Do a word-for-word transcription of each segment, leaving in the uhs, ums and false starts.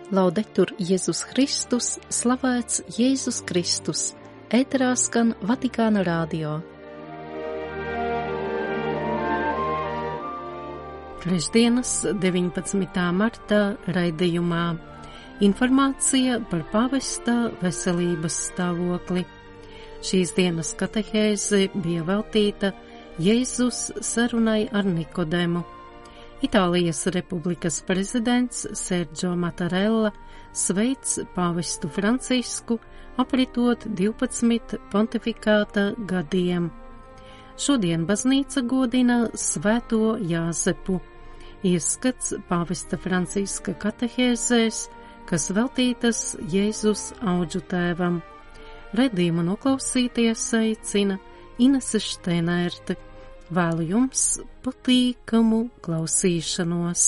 Laudetur Jēzus Kristus, slavēts Jēzus Kristus, ēterā skan Vatikāna radio. Trešdienas, deviņpadsmitā marta raidījumā informācija par pāvesta veselības stāvokli. Šīs dienas katehēze bija veltīta Jēzus sarunai ar Nikodemu. Itālijas Republikas prezidents Sergio Mattarella sveic pāvestu Francisku apritot divpadsmit pontifikāta gadiem. Šodien baznīca godina Svēto Jāzepu. Ieskats pāvesta Franciska katehēzēs, kas veltītas Jēzus audžu tēvam. Redzījumu noklausīties aicina Inese Šteinērte. Vēlu jums patīkamu klausīšanos.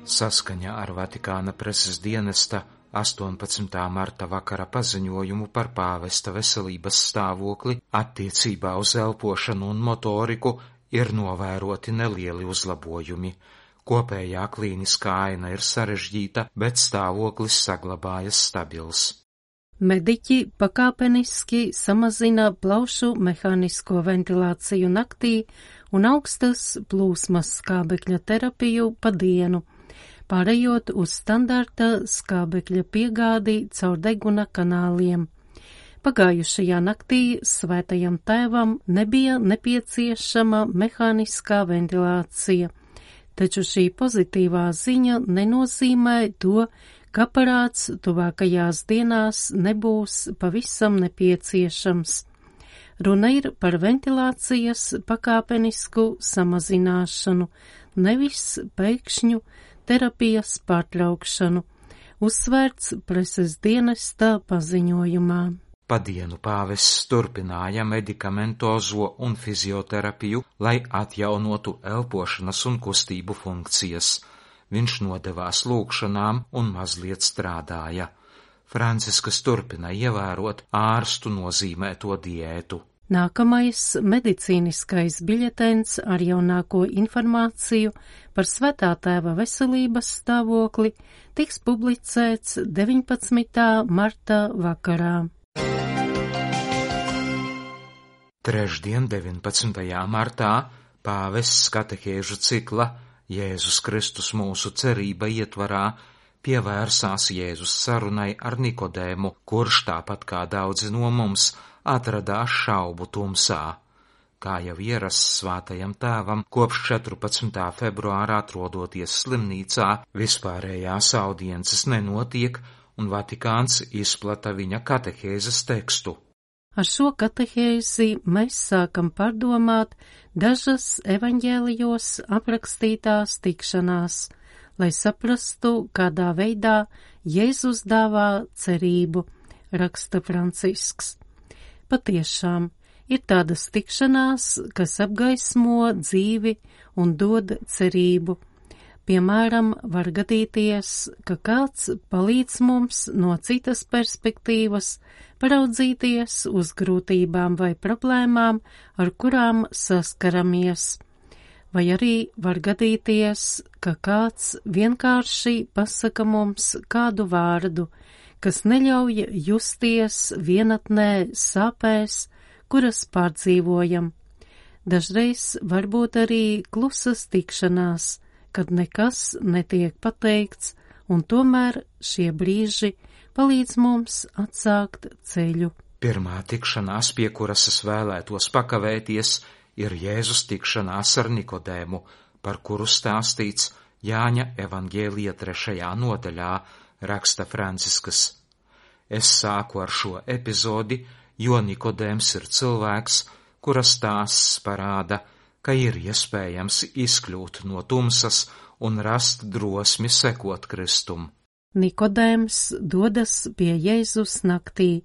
Saskaņā ar Vatikāna preses dienesta astoņpadsmitā marta vakara paziņojumu par pāvesta veselības stāvokli attiecībā uz elpošanu un motoriku ir novēroti nelieli uzlabojumi. Kopējā klīniskā aina ir sarežģīta, bet stāvoklis saglabājas stabils. Mediķi pakāpeniski samazina plaušu mehānisko ventilāciju naktī un augstas plūsmas skābekļa terapiju pa dienu, pārējot uz standarta skābekļa piegādi caur deguna kanāliem. Pagājušajā naktī Svētajam tēvam nebija nepieciešama mehāniskā ventilācija. Taču šī pozitīvā ziņa nenozīmē to, ka aparāts tuvākajās dienās nebūs pavisam nepieciešams. Runa ir par ventilācijas pakāpenisku samazināšanu, nevis pēkšņu terapijas pārtraukšanu, uzsvērts preses dienesta paziņojumā. Pa dienu pāvests turpināja medikamentozo un fizioterapiju, lai atjaunotu elpošanas un kustību funkcijas. Viņš nodevās lūgšanām un mazliet strādāja. Franciskas turpina ievērot ārstu nozīmēto diētu. Nākamais medicīniskais biļetens ar jaunāko informāciju par Svētā tēva veselības stāvokli tiks publicēts deviņpadsmitā marta vakarā. Trešdien, deviņpadsmitajā martā, pāvests katehēžu cikla Jēzus Kristus mūsu cerība ietvarā pievērsās Jēzus sarunai ar Nikodēmu, kurš tāpat kā daudzi no mums atradās šaubu tumsā. Kā jau ierasts Svētajam tēvam, kopš četrpadsmitā februāra atrodoties slimnīcā, vispārējās audiences nenotiek un Vatikāns izplata viņa katehēzes tekstu. Ar šo katehēzi mēs sākam pārdomāt dažas evaņģēlijos aprakstītās tikšanās, lai saprastu, kādā veidā Jēzus dāvā cerību, raksta Francisks. Patiešām ir tādas tikšanās, kas apgaismo dzīvi un dod cerību. Piemēram, var gadīties, ka kāds palīdz mums no citas perspektīvas paraudzīties uz grūtībām vai problēmām, ar kurām saskaramies. Vai arī var gadīties, ka kāds vienkārši pasaka mums kādu vārdu, kas neļauj justies vienatnē sāpēs, kuras pārdzīvojam. Dažreiz varbūt arī klusas tikšanās, kad nekas netiek pateikts, un tomēr šie brīži palīdz mums atsākt ceļu. Pirmā tikšanās, pie kuras es vēlētos pakavēties, ir Jēzus tikšanās ar Nikodēmu, par kuru stāstīts Jāņa evaņģēlija trešajā nodaļā, raksta Franciskas. Es sāku ar šo epizodi, jo Nikodēms ir cilvēks, kura stāsts parāda, ka ir iespējams izkļūt no tumsas un rast drosmi sekot Kristum. Nikodēms dodas pie Jēzus naktī.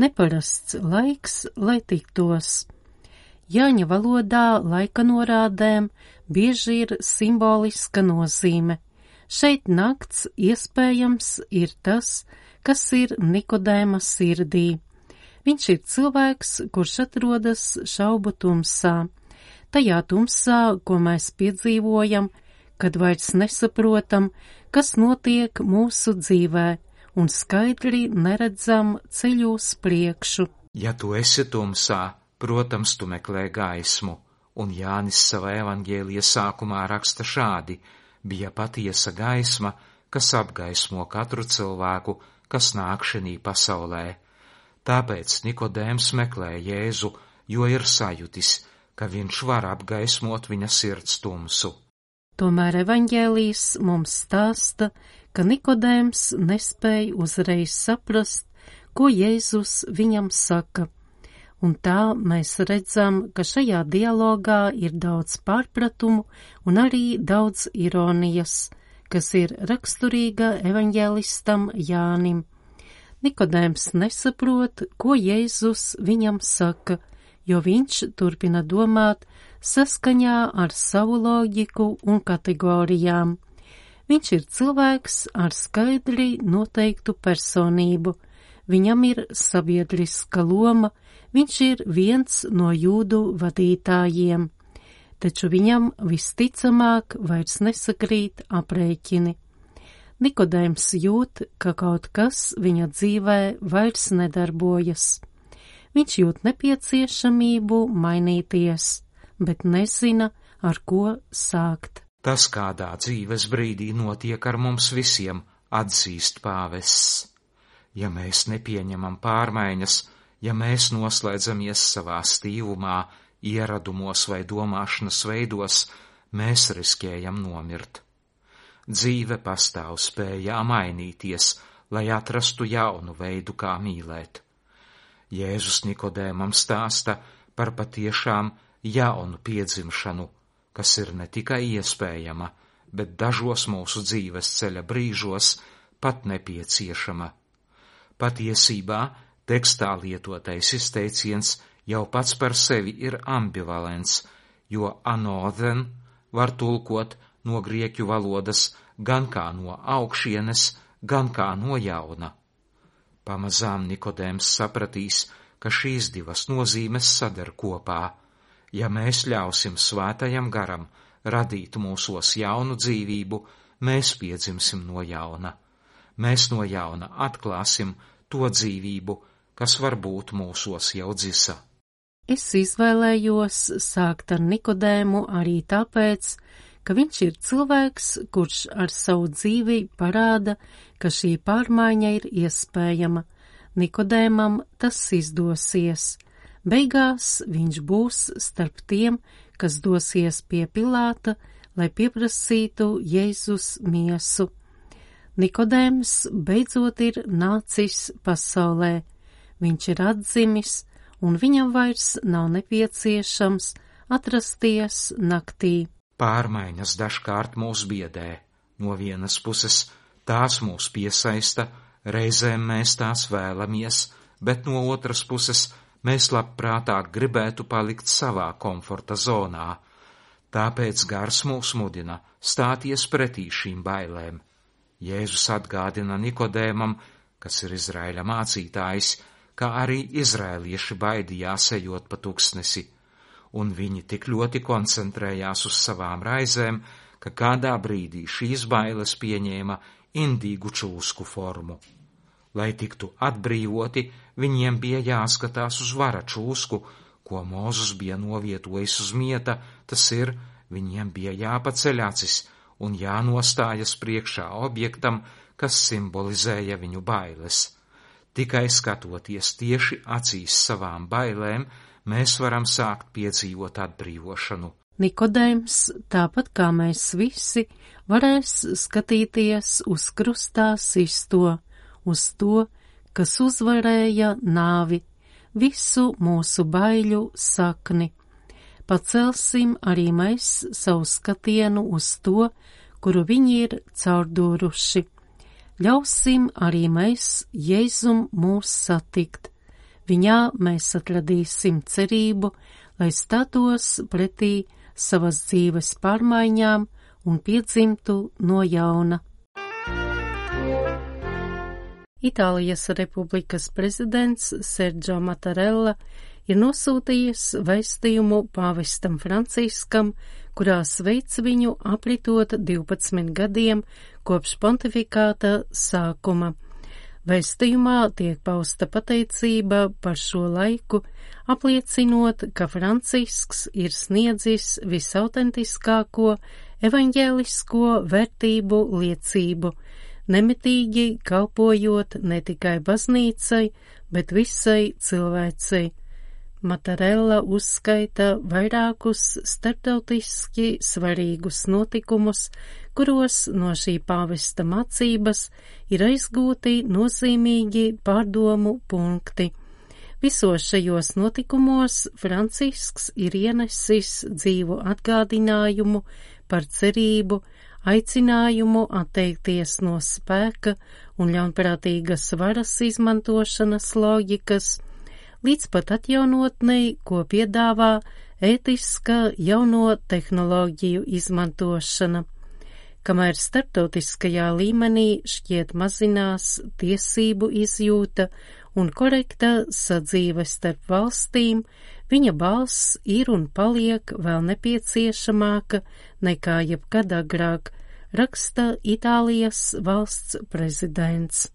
Neparasts laiks, lai tiktos. Jāņa valodā laika norādēm bieži ir simboliska nozīme. Šeit nakts iespējams ir tas, kas ir Nikodēma sirdī. Viņš ir cilvēks, kurš atrodas šaubu tumsā. Tajā tumsā, ko mēs piedzīvojam, kad vairs nesaprotam, kas notiek mūsu dzīvē, un skaidri neredzam ceļu uz priekšu. Ja tu esi tumsā, protams, tu meklē gaismu, un Jānis savā evaņģēlija sākumā raksta šādi: bija patiesa gaisma, kas apgaismo katru cilvēku, kas nāk šinī pasaulē. Tāpēc Nikodēms meklē Jēzu, jo ir sajutis, ka viņš var apgaismot viņa sirds tumsu. Tomēr evaņģēlijs mums stāsta, ka Nikodēms nespēja uzreiz saprast, ko Jēzus viņam saka. Un tā mēs redzam, ka šajā dialogā ir daudz pārpratumu un arī daudz ironijas, kas ir raksturīga evaņģēlistam Jānim. Nikodēms nesaprot, ko Jēzus viņam saka, jo viņš turpina domāt saskaņā ar savu loģiku un kategorijām. Viņš ir cilvēks ar skaidri noteiktu personību, viņam ir sabiedriska loma, viņš ir viens no jūdu vadītājiem, taču viņam visticamāk vairs nesakrīt aprēķini. Nikodēms jūt, ka kaut kas viņa dzīvē vairs nedarbojas. Viņš jūt nepieciešamību mainīties, bet nezina, ar ko sākt. Tas kādā dzīves brīdī notiek ar mums visiem, atzīst pāvests. Ja mēs nepieņemam pārmaiņas, ja mēs noslēdzamies savā stīvumā, ieradumos vai domāšanas veidos, mēs riskējam nomirt. Dzīve pastāv spējā mainīties, lai atrastu jaunu veidu, kā mīlēt. Jēzus Nikodēmam stāsta par patiešām jaunu piedzimšanu, kas ir ne tikai iespējama, bet dažos mūsu dzīves ceļa brīžos pat nepieciešama. Patiesībā tekstā lietotais izteiciens jau pats par sevi ir ambivalents, jo anothen var tulkot no grieķu valodas gan kā no augšienes, gan kā no jauna. Pamazām Nikodēms sapratīs, ka šīs divas nozīmes sadar kopā. Ja mēs ļausim svētajam garam radīt mūsos jaunu dzīvību, mēs piedzimsim no jauna. Mēs no jauna atklāsim to dzīvību, kas varbūt mūsos jau dzisa. Es izvēlējos sākt ar Nikodēmu arī tāpēc, ka viņš ir cilvēks, kurš ar savu dzīvi parāda, ka šī pārmaiņa ir iespējama. Nikodēmam tas izdosies. Beigās viņš būs starp tiem, kas dosies pie Pilāta, lai pieprasītu Jēzus miesu. Nikodēms beidzot ir nācis pasaulē. Viņš ir atdzimis, un viņam vairs nav nepieciešams atrasties naktī. Pārmaiņas dažkārt mūs biedē. No vienas puses tās mūs piesaista, reizēm mēs tās vēlamies, bet no otras puses mēs labprātāk gribētu palikt savā komforta zonā. Tāpēc gars mūs mudina stāties pretī šīm bailēm. Jēzus atgādina Nikodēmam, kas ir Izraēļa mācītājs, kā arī izraēlieši baidījās ejot pa tuksnesi, un viņi tik ļoti koncentrējās uz savām raizēm, ka kādā brīdī šīs bailes pieņēma indīgu čūsku formu. Lai tiktu atbrīvoti, viņiem bija jāskatās uz vara čūsku, ko Mūzes bija novietojis uz mieta, tas ir, viņiem bija jāpaceļ acis un jānostājas priekšā objektam, kas simbolizēja viņu bailes. Tikai skatoties tieši acīs savām bailēm, mēs varam sākt piedzīvot atbrīvošanu. Nikodēms, tāpat kā mēs visi, varēs skatīties uz krustā sisto, uz to, kas uzvarēja nāvi, visu mūsu baiļu sakni. Pacelsim arī mēs savu skatienu uz to, kuru viņi ir caurdūruši. Ļausim arī mēs Jēzum mūs satikt. Viņā mēs atradīsim cerību, lai stātos pretī savas dzīves pārmaiņām un piedzimtu no jauna. Itālijas Republikas prezidents Sergio Mattarella ir nosūtījis vēstījumu pāvestam Franciskam, kurā sveic viņu apritot divpadsmit gadiem kopš pontifikāta sākuma. Vēstījumā tiek pausta pateicība par šo laiku, apliecinot, ka Francisks ir sniedzis visautentiskāko evaņģēlisko vērtību liecību, nemitīgi kalpojot ne tikai baznīcai, bet visai cilvēcei. Mattarella uzskaita vairākus starptautiski svarīgus notikumus, kuros no šī pāvesta mācības ir aizgūti nozīmīgi pārdomu punkti. Visos šajos notikumos Francisks ir ienesis dzīvu atgādinājumu par cerību, aicinājumu atteikties no spēka un ļaunprātīgas varas izmantošanas loģikas, līdz pat atjaunotnei, ko piedāvā ētiska jauno tehnoloģiju izmantošana. Kamēr starptautiskajā līmenī šķiet mazinās tiesību izjūta un korekta sadzīve starp valstīm, viņa balss ir un paliek vēl nepieciešamāka nekā jebkad agrāk, raksta Itālijas valsts prezidents.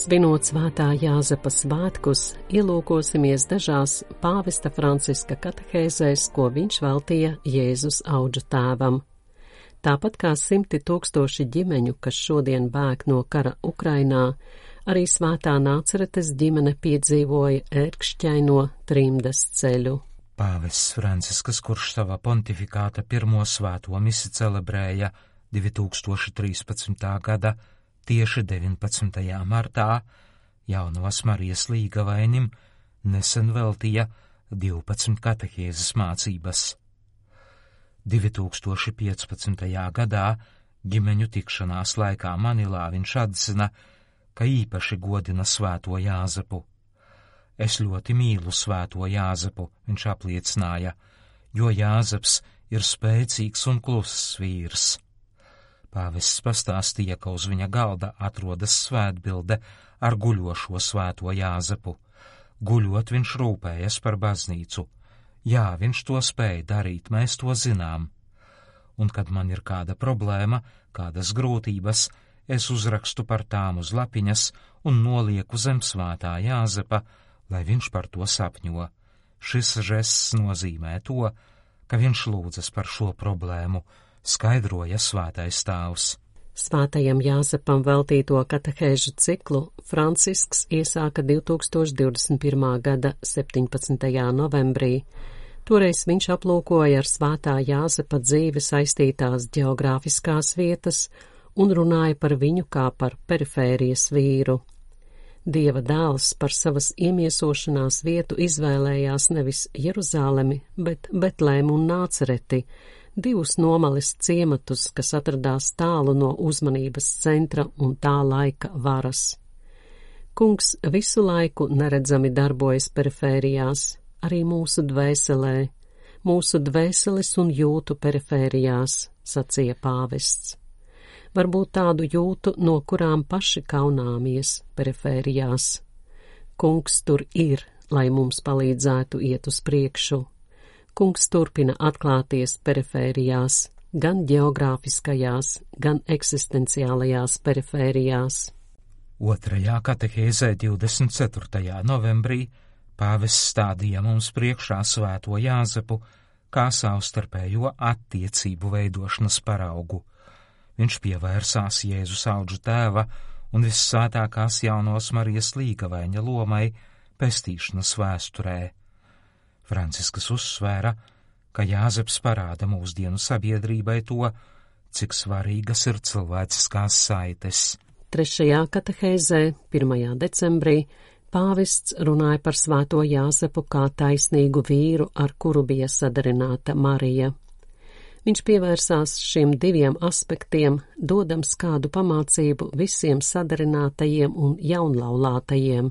Svinot svētā Jāzepa svētkus, ielūkosimies dažās pāvesta Franciska katehēzēs, ko viņš veltīja Jēzus audžu tēvam. Tāpat kā simti tūkstoši ģimeņu, kas šodien bēg no kara Ukrainā, arī svētā Nāceretes ģimene piedzīvoja ērkšķaino trimdas ceļu. Pāvests Francisks, kurš savā pontifikāta pirmo svēto misi celebrēja divi tūkstoši trīspadsmitā gada tieši deviņpadsmitajā martā, Jaunavas Marijas līgavainim nesen veltīja divpadsmit katehēzes mācības. divi tūkstoši piecpadsmitajā gadā ģimeņu tikšanās laikā Manilā viņš atzina, ka īpaši godina svēto Jāzepu. Es ļoti mīlu svēto Jāzepu, viņš apliecināja, jo Jāzeps ir spēcīgs un kluss vīrs. Pāvests pastāstīja, ka uz viņa galda atrodas svētbilde ar guļošo svēto Jāzepu. Guļot viņš rūpējas par baznīcu. Jā, viņš to spēja darīt, mēs to zinām. Un kad man ir kāda problēma, kādas grūtības, es uzrakstu par tām uz lapiņas un nolieku zem svētā Jāzepa, lai viņš par to sapņo. Šis žests nozīmē to, ka viņš lūdzas par šo problēmu, skaidroja svētais tēvs. Svētajam Jāzepam veltīto katehēžu ciklu Francisks iesāka divi tūkstoši divdesmit pirmā gada septiņpadsmitajā novembrī. Toreiz viņš aplūkoja ar svētā Jāzepa dzīvi saistītās ģeogrāfiskās vietas un runāja par viņu kā par perifērijas vīru. Dieva dēls par savas iemiesošanās vietu izvēlējās nevis Jeruzalemi, bet Betlēmu un Nācereti, divus nomalis ciematus, kas atradās tālu no uzmanības centra un tā laika varas. Kungs visu laiku neredzami darbojas perifērijās, arī mūsu dvēselē, mūsu dvēseles un jūtu perifērijās, sacīja pāvests. Varbūt tādu jūtu, no kurām paši kaunāmies perifērijās. Kungs tur ir, lai mums palīdzētu iet uz priekšu. Kungs turpina atklāties perifērijās, gan ģeogrāfiskajās, gan eksistenciālajās perifērijās. Otrajā katehēzē divdesmit ceturtajā novembrī pāvests stādīja mums priekšā svēto Jāzepu kā savstarpējo attiecību veidošanas paraugu. Viņš pievērsās Jēzus audžu tēva un vissvētākās Jaunavas Marijas līgavaiņa lomai pestīšanas vēsturē. Francisks uzsvēra, ka Jāzeps parāda mūsdienu sabiedrībai to, cik svarīgas ir cilvēciskās saites. Trešajā katehēzē, pirmajā decembrī, pāvests runāja par svēto Jāzepu kā taisnīgu vīru, ar kuru bija sadarināta Marija. Viņš pievērsās šiem diviem aspektiem, dodams kādu pamācību visiem sadarinātajiem un jaunlaulātajiem.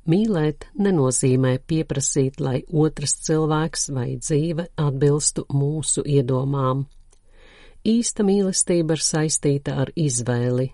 Mīlēt nenozīmē pieprasīt, lai otrs cilvēks vai dzīve atbilstu mūsu iedomām. Īsta mīlestība ir saistīta ar izvēli.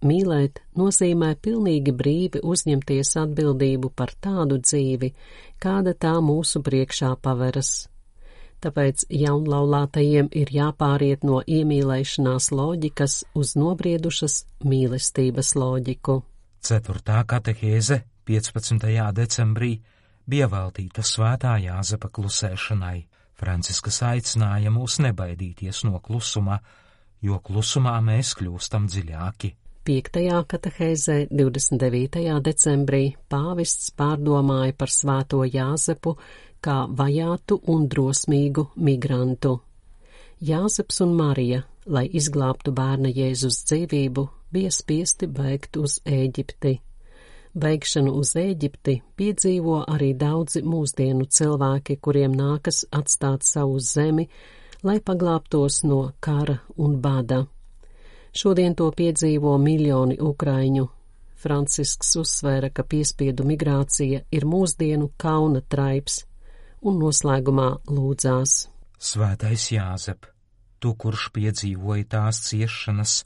Mīlēt nozīmē pilnīgi brīvi uzņemties atbildību par tādu dzīvi, kāda tā mūsu priekšā paveras. Tāpēc jaunlaulātajiem ir jāpāriet no iemīlēšanās loģikas uz nobriedušas mīlestības loģiku. Ceturtā katehēze piecpadsmitajā decembrī bija veltīta Svētā Jāzepa klusēšanai. Franciskas aicināja mūs nebaidīties no klusuma, jo klusumā mēs kļūstam dziļāki. Piektajā katehēzē divdesmit devītajā decembrī pāvests pārdomāja par Svēto Jāzepu kā vajātu un drosmīgu migrantu. Jāzeps un Marija, lai izglābtu bērna Jēzus dzīvību, bija spiesti bēgt uz Ēģipti. Bēgšanu uz Ēģipti piedzīvo arī daudzi mūsdienu cilvēki, kuriem nākas atstāt savu zemi, lai paglābtos no kara un bada. Šodien to piedzīvo miljoni ukraiņu. Francisks uzsvēra, ka piespiedu migrācija ir mūsdienu kauna traips, un noslēgumā lūdzās. Svētais Jāzep, tu, kurš piedzīvoji tās ciešanas,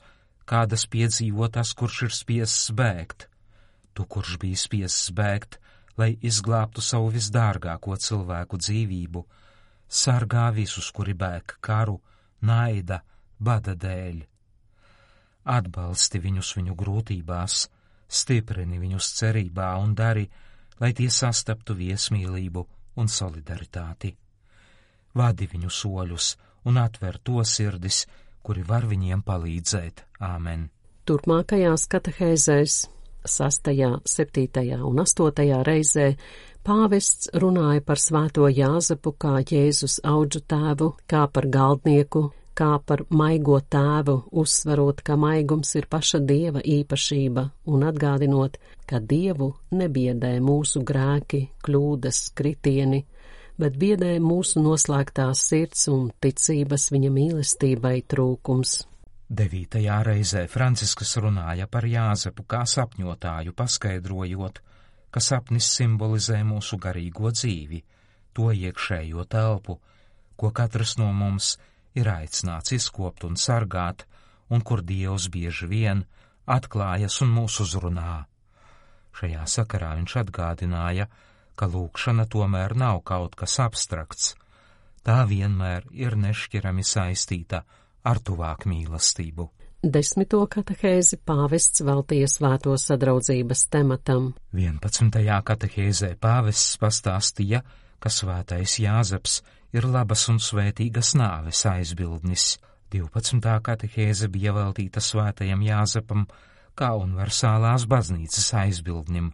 kādas piedzīvo tas, kurš ir spiests bēgt, tu, kurš bija spiests bēgt, lai izglābtu savu visdārgāko cilvēku dzīvību, sargā visus, kuri bēg karu, naida, bada dēļ. Atbalsti viņus viņu grūtībās, stiprini viņus cerībā un dari, lai tie sastaptu viesmīlību un solidaritāti. Vadi viņu soļus un atver to sirdis, kuri var viņiem palīdzēt. Āmen. Turpmākajās katehēzēs, sastajā, septītajā un astotajā reizē, pāvests runāja par Svēto Jāzepu kā Jēzus audžu tēvu, kā par galdnieku, kā par maigo tēvu, uzsverot, ka maigums ir paša Dieva īpašība un atgādinot, ka Dievu nebiedē mūsu grēki, kļūdas, kritieni, bet biedē mūsu noslēgtās sirds un ticības viņa mīlestībai trūkums. Devītajā reizē Franciskas runāja par Jāzepu kā sapņotāju, paskaidrojot, ka sapnis simbolizē mūsu garīgo dzīvi, to iekšējo telpu, ko katrs no mums ir aicināts izkopt un sargāt, un kur Dievs bieži vien atklājas un mūs uzrunā. Šajā sakarā viņš atgādināja, ka lūgšana tomēr nav kaut kas abstrakts, tā vienmēr ir nešķirami saistīta ar tuvāk mīlestību. Desmito katehēzi pāvests veltīja Svēto sadraudzības tematam. vienpadsmitajā katehēzē pāvests pastāstīja, ka Svētais Jāzeps ir labas un svētīgas nāves aizbildnis. divpadsmitā katehēze bija veltīta Svētajam Jāzepam kā universālās baznīcas aizbildnim.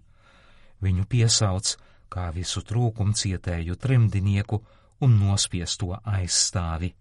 Viņu piesauc kā visu trūkumu cietēju trimdinieku un nospiesto aizstāvi.